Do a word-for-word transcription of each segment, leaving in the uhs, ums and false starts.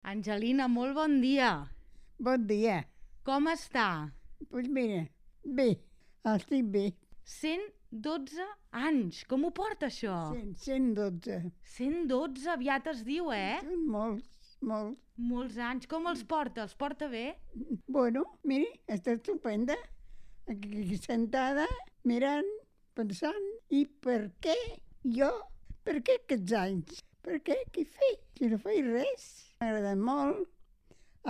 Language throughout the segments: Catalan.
Angelina, molt bon dia. Bon dia. Com està? Doncs pues mira, bé, estic bé. cent dotze anys. Com ho porta, això? cent, cent dotze. cent dotze, aviat es diu, eh? Són molts, molts. Molts anys. Com els porta? Els porta bé? Bueno, miri, està estupenda. Aquí sentada, mirant, pensant, i per què jo? Per què aquests anys? Per què? Què he fet? Si no faig res. M'ha agradat molt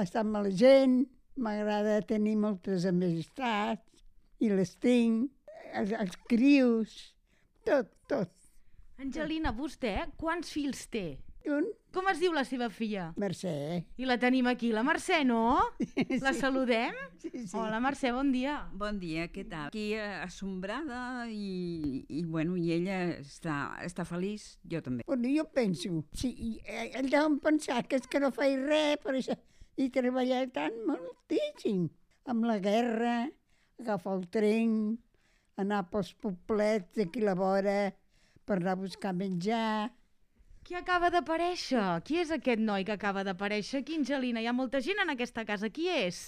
estar amb la gent, m'agrada tenir moltes amistats, i les tinc, els, els crios, tot, tot. Angelina, vostè quants fills té? Un, Com es diu la seva filla? Mercè. I la tenim aquí, la Mercè, no? La Sí. saludem? Sí, sí. Hola, Mercè, bon dia. Bon dia, què tal? Aquí eh, assombrada i, i, bueno, i ella està, està feliç, jo també. Bueno, jo penso, sí, eh, ell deuen pensar que és que no faig res, per això, i treballar tant moltíssim. Amb la guerra, agafar el tren, anar pels poblets d'aquí a la vora per anar a buscar menjar. Qui acaba d'aparèixer? Qui és aquest noi que acaba d'aparèixer aquí, Angelina? Hi ha molta gent en aquesta casa. Qui és?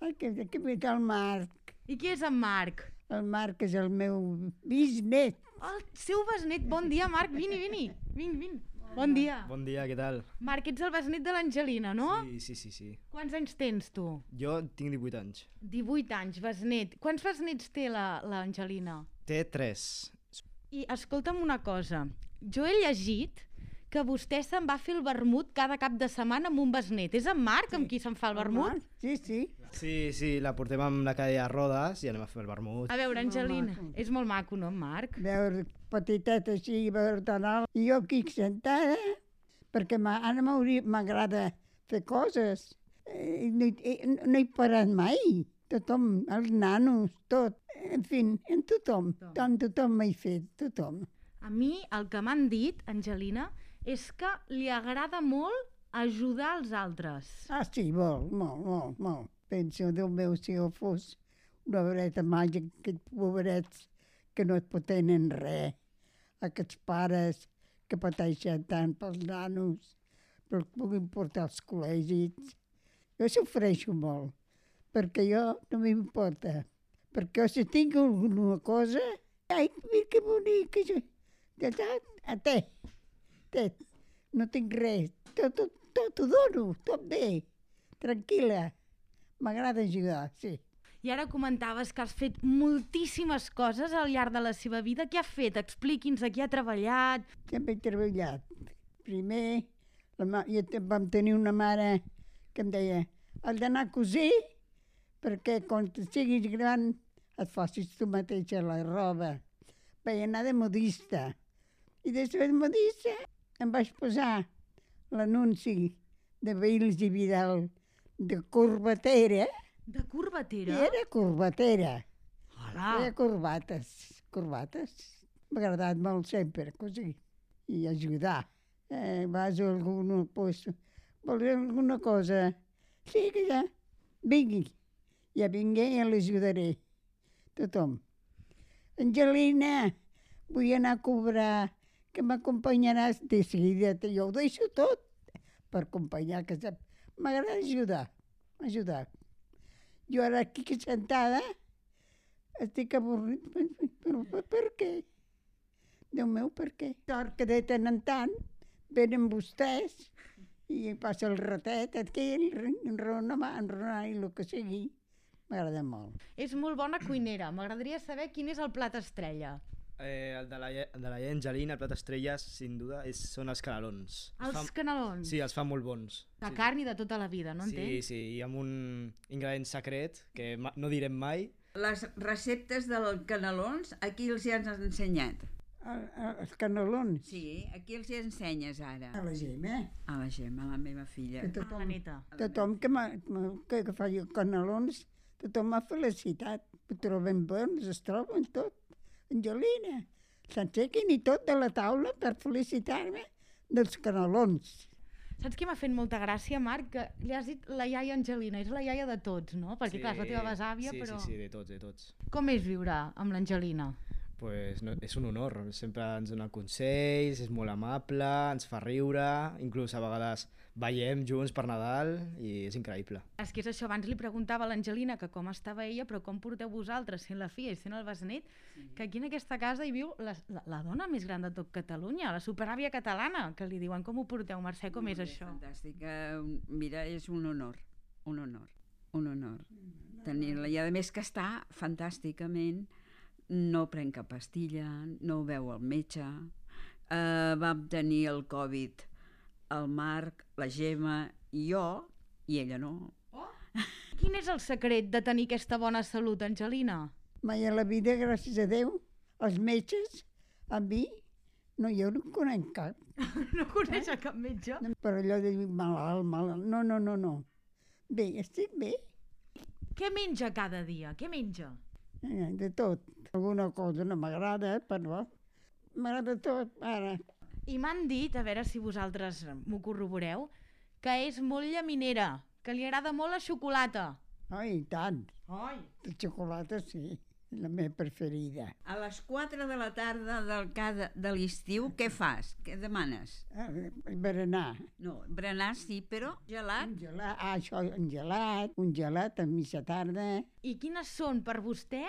Ai, que, que ve el Marc. I qui és en Marc? El Marc és el meu bisnet. El seu besnet. Bon dia, Marc. Vini, vini. Vin, vin. Bon dia. Bon dia, què tal? Marc, ets el besnet de l'Angelina, no? Sí, sí, sí, sí. Quants anys tens, tu? Jo tinc divuit anys. divuit anys, besnet. Quants besnets té la- l'Angelina? Té tres. I escolta'm una cosa. Jo he llegit que vostè se'n va fer el vermut cada cap de setmana amb un besnet. És en Marc amb qui se'n fa el vermut? Marc, sí, sí. Sí, sí, la portem amb la cadira de rodes i anem a fer el vermut. A veure, Angelina, maco. és molt maco, no, en Marc? Veure petitet així, veure tan alt. I jo aquí sentada, perquè m'ha- ara m'hauria- m'agrada fer coses. Eh, no, hi- eh, no he parat mai. Tothom, els nanos, tot. En fi, en tothom. Tothom, tothom m'he fet, tothom. A mi el que m'han dit, Angelina, és que li agrada molt ajudar els altres. Ah, sí, molt, molt, molt, molt. Penso, Déu meu, si jo fos una vareta màgica, aquests pobrets que no et potenen res, aquests pares que pateixen tant pels nanos, però que puguin portar als col·legis. Jo sofreixo molt, perquè jo no m'importa. Perquè si tinc alguna cosa, ai, mira que bonic, això. Ja, ja, a té, té, no tinc res, tot, tot, tot ho dono, tot bé, tranquil·la. M'agrada ajudar, sí. I ara comentaves que has fet moltíssimes coses al llarg de la seva vida. Què ha fet? Expliqui'ns a qui ha treballat. Sempre he treballat. Primer, la ma... jo te- vam tenir una mare que em deia has d'anar a cosir perquè quan siguis gran et facis tu mateixa la roba. Vaig anar de modista. I després de modista em vaig posar l'anunci de Vils i Vidal de corbatera. De I corbatera? era corbatera. Hola. Feia corbates, corbates. M'ha agradat molt sempre cosir i ajudar. Eh, vas a algun lloc, vols alguna cosa? Sí, que ja, vingui. Ja vingué i l'ajudaré. Tothom. Angelina, vull anar a cobrar, que m'acompanyaràs de seguida. Jo ho deixo tot per acompanyar, que sap- m'agrada ajudar, ajudar. Jo ara aquí sentada estic avorrit, però per, per què? Déu meu, per què? Sort que de tant en tant venen vostès i passa el ratet aquí, enronar, enronar i el que sigui. M'agrada molt. És molt bona cuinera. M'agradaria saber quin és el plat estrella. Eh, el de la, ie- el de la iaia Angelina, el plat estrella, sin duda, és, són els canelons. Els Fan- canelons. Sí, els fan molt bons. De sí. carn i de tota la vida, no Sí, entenc? sí, i amb un ingredient secret que ma- no direm mai. Les receptes dels canelons, aquí els hi has ensenyat. El, el, els canelons. Sí, aquí els hi ensenyes ara. A la Gemma. A la Gemma, la meva filla. Que Ah, tothom, la neta. tothom que, m'ha- m'ha- que, que fa canelons, tothom m'ha felicitat. Ho troben bons, es troben tot. Angelina, s'ensequin i tot de la taula per felicitar-me dels canelons. Saps què m'ha fet molta gràcia, Marc? Que li has dit la iaia Angelina. És la iaia de tots, no? Perquè, clar, és la teva besàvia, sí, però... Sí, sí, de tots, de tots. Com és viure amb l'Angelina? Pues no, és un honor, sempre ens dona consells, és molt amable, ens fa riure, inclús a vegades ballem junts per Nadal i és increïble. És que és això, abans li preguntava a l'Angelina que com estava ella, però com porteu vosaltres, sent la filla i sent el besnet, sí. que aquí en aquesta casa hi viu la, la, la dona més gran de tot Catalunya, la superàvia catalana, que li diuen com ho porteu, Mercè, com és això? Fantàstic, mira, és un honor, un honor, un honor tenir-la, i a més que està fantàsticament, no pren cap pastilla, no veu el metge, uh, vam tenir el Covid, el Marc, la Gemma i jo, i ella no. Oh. Quin és el secret de tenir aquesta bona salut, Angelina? Mai a la vida, gràcies a Déu, els metges, a mi, no, jo no conec cap. No coneix eh? cap metge? Per allò de dir malalt, malalt, no, no, no, no. Bé, estic bé. Què menja cada dia? Què menja? Eh, de tot. Alguna cosa no m'agrada, però m'agrada tot, ara. I m'han dit, a veure si vosaltres m'ho corroboreu, que és molt llaminera, que li agrada molt la xocolata. Ai, i tant. Ai. La xocolata, sí, la meva preferida. A les quatre de la tarda del cada, de l'estiu, què fas? Què demanes? Ah, berenar. No, berenar sí, però gelat? Un gelat, ah, això, un gelat, un gelat a mitja tarda. I quines són per vostè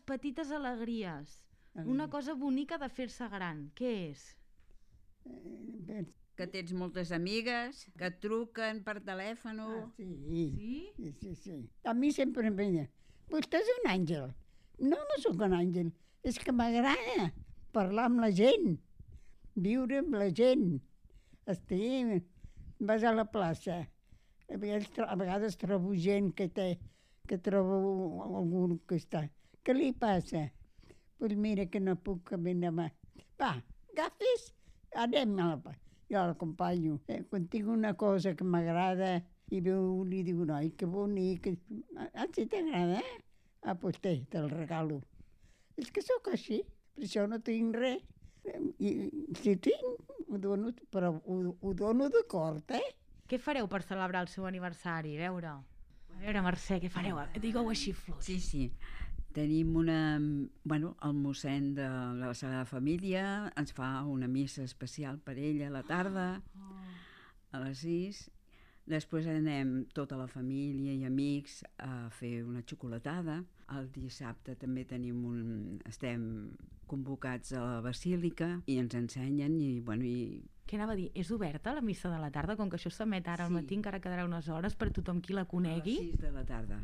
petites alegries? Una cosa bonica de fer-se gran. Què és? Eh, que tens moltes amigues, que et truquen per telèfon. Ah, sí. Sí? Sí, sí, sí. A mi sempre em deia, vostè és un àngel. No, no sóc un àngel. És que m'agrada parlar amb la gent, viure amb la gent. Estic, vas a la plaça. A vegades, a vegades trobo gent que té, que trobo algú que està. Què li passa? Doncs pues mira que no puc caminar més. Va, agafis, anem a la... Jo l'acompanyo. Eh, quan tinc una cosa que m'agrada i veu, li diu, noi, que bonic. Ah, si t'agrada? Ah, doncs té, te'l regalo. És que sóc així, per això no tinc res. I si tinc, ho dono, però ho, ho dono d'acord, eh? Què fareu per celebrar el seu aniversari? A veure, a veure, Mercè, què fareu? Digueu així fluix. Sí, sí. Tenim una... Bueno, el mossèn de la Sagrada Família ens fa una missa especial per ella a la tarda, a les sis. Després anem tota la família i amics a fer una xocolatada. El dissabte també tenim un... estem convocats a la Basílica i ens ensenyen i, bueno, i... Què anava a dir? És oberta la missa de la tarda? Com que això s'emet ara al Sí. matí, encara quedarà unes hores per tothom qui la conegui. A les sis de la tarda.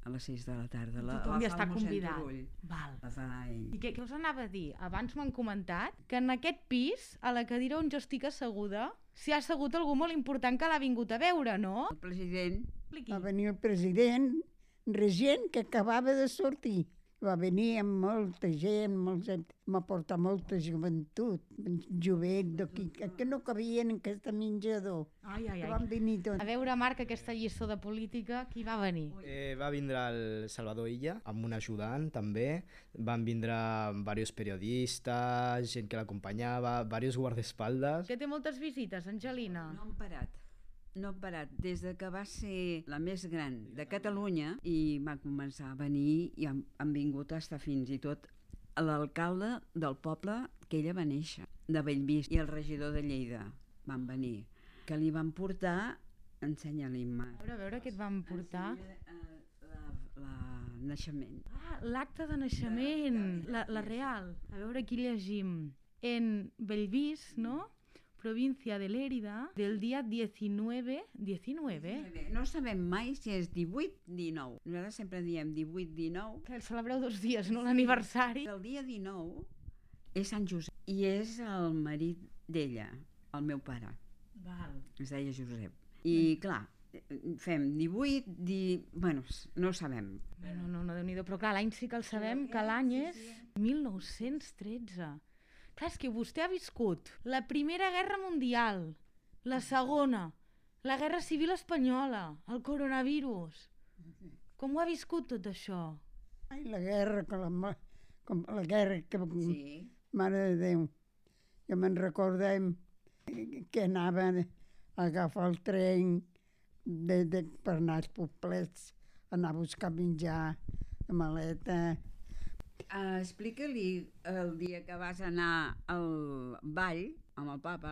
A les sis de la tarda. La, Tothom la hi fa està el mossèn convidat. Turull. Val. La fa ell. I què, què us anava a dir? Abans m'han comentat que en aquest pis, a la cadira on jo estic asseguda, s'hi ha assegut algú molt important que l'ha vingut a veure, no? El president... Expliqui. Va venir el president, regent que acabava de sortir. Va venir amb molta gent, molta, m'ha portat molta joventut, jovent, d'aquí, que no cabien en aquest menjador. Ai, ai, Que ai. van venir tots. A veure, Marc, aquesta lliçó de política, qui va venir? Eh, va vindre el Salvador Illa, amb un ajudant també. Van vindre diversos periodistes, gent que l'acompanyava, diversos guardaespaldes. Que té moltes visites, Angelina. No han parat. No han parat. Des de que va ser la més gran de Catalunya i va començar a venir i han, han vingut a estar fins i tot l'alcalde del poble que ella va néixer, de Bellvís, i el regidor de Lleida van venir, que li van portar, ensenya-li, Mar. A veure, a veure què et van portar. Ensenya, eh, la, la naixement. Ah, l'acte de naixement, la, la real. A veure, aquí llegim. En Bellvís, no? Província de Lérida, del dia diecinueve... diecinueve? No sabem mai si és divuit dinou. Nosaltres sempre diem divuit dinou. Que el celebreu dos dies, no? L'aniversari. El dia dinou és Sant Josep i és el marit d'ella, el meu pare. Val. Es deia Josep. I clar, fem divuit, di... bueno, no ho sabem. No, no, no, Déu-n'hi-do. Però clar, l'any sí que el sabem, que l'any és mil nou-cents tretze. Clar, és que vostè ha viscut la Primera Guerra Mundial, la Segona, la Guerra Civil Espanyola, el coronavirus. Com ho ha viscut tot això? Ai, la guerra, com la, com la guerra que... Sí. Mare de Déu. Jo me'n recordem que anava a agafar el tren de, de, per anar als poblets, anar a buscar menjar, a maleta. Uh, Explica-li el dia que vas anar al ball amb el papa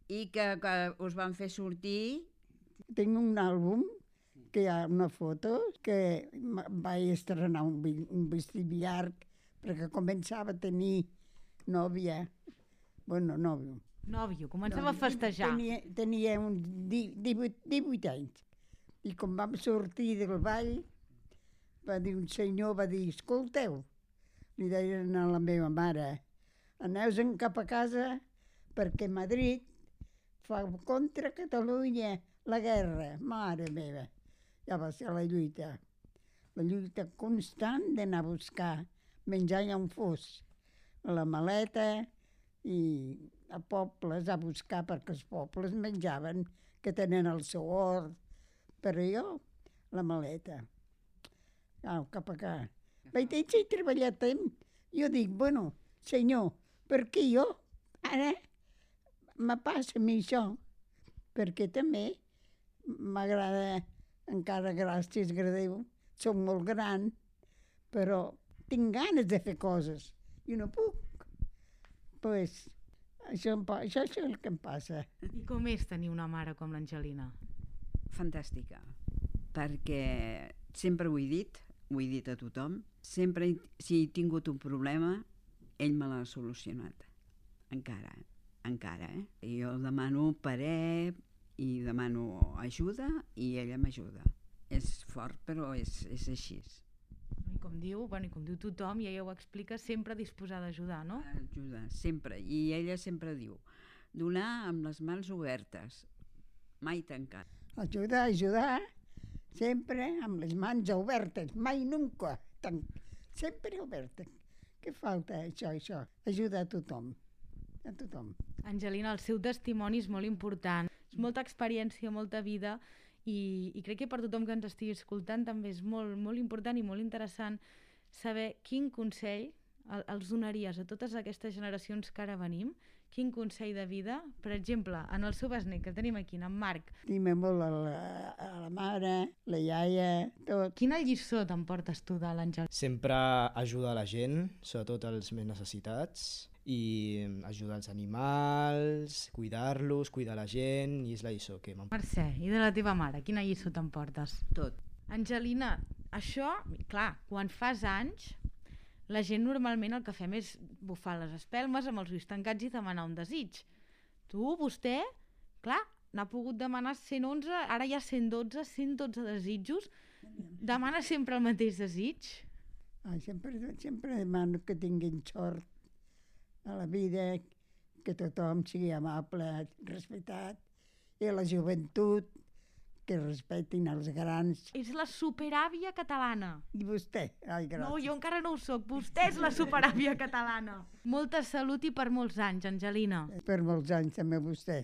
i que, que us van fer sortir. Tinc un àlbum que hi ha una foto que m- vaig estrenar un, vi- un vestit llarg perquè començava a tenir nòvia. Bueno, nòvio. Nòvio, començava a festejar. Tenia, tenia uns di- divuit, divuit anys. I quan vam sortir del ball, va dir un senyor, va dir, escolteu, li deien a la meva mare, aneu-se'n cap a casa perquè Madrid fa contra Catalunya la guerra. Mare meva, ja va ser la lluita. La lluita constant d'anar a buscar menjar allà on fos. A la maleta i a pobles a buscar perquè els pobles menjaven, que tenen el seu hort. Però jo, la maleta. Au, cap a cá. Vaig dir, si he treballat tant. Jo dic, bueno, senyor, per què jo ara me passa a mi això? Perquè també m'agrada, encara gràcies a Déu, soc molt gran, però tinc ganes de fer coses i no puc. Pues, això, em pa- això, això és el que em passa. I com és tenir una mare com l'Angelina? Fantàstica, perquè sempre ho he dit, ho he dit a tothom, sempre he- si he tingut un problema, ell me l'ha solucionat. Encara, encara, eh? I jo demano parer i demano ajuda i ella m'ajuda. És fort, però és, és així. I com diu, bueno, i com diu tothom, i ella ho explica, sempre disposada a ajudar, no? Ajuda, sempre. I ella sempre diu, donar amb les mans obertes, mai tancat. Ajudar, ajudar, sempre amb les mans obertes, mai nunca, tan, sempre obertes. Què falta, això, això? Ajudar a tothom, a tothom. Angelina, el seu testimoni és molt important. És molta experiència, molta vida, i, i crec que per tothom que ens estigui escoltant també és molt, molt important i molt interessant saber quin consell el- els donaries a totes aquestes generacions que ara venim, quin consell de vida, per exemple, en el seu besnet, que el tenim aquí, en Marc. Estime molt a la, a la mare, la iaia, tot. Quina lliçó t'emportes tu de l'Àngel? Sempre ajuda la gent, sobretot els més necessitats, i ajudar els animals, cuidar-los, cuidar la gent, i és la lliçó que m'emporta. Mercè, i de la teva mare, quina lliçó t'emportes? Tot. Angelina, això, clar, quan fas anys, la gent normalment el que fem és bufar les espelmes amb els ulls tancats i demanar un desig. Tu, vostè, clar, n'ha pogut demanar cent onze, ara hi ha cent dotze, cent dotze desitjos. Demana sempre el mateix desig? Ah, sempre, sempre demano que tinguin sort a la vida, que tothom sigui amable, respectat, i a la joventut, que respectin els grans. És la superàvia catalana. I vostè? Ai, gràcies. No, jo encara no ho soc. Vostè és la superàvia catalana. Molta salut i per molts anys, Angelina. Per molts anys també vostè.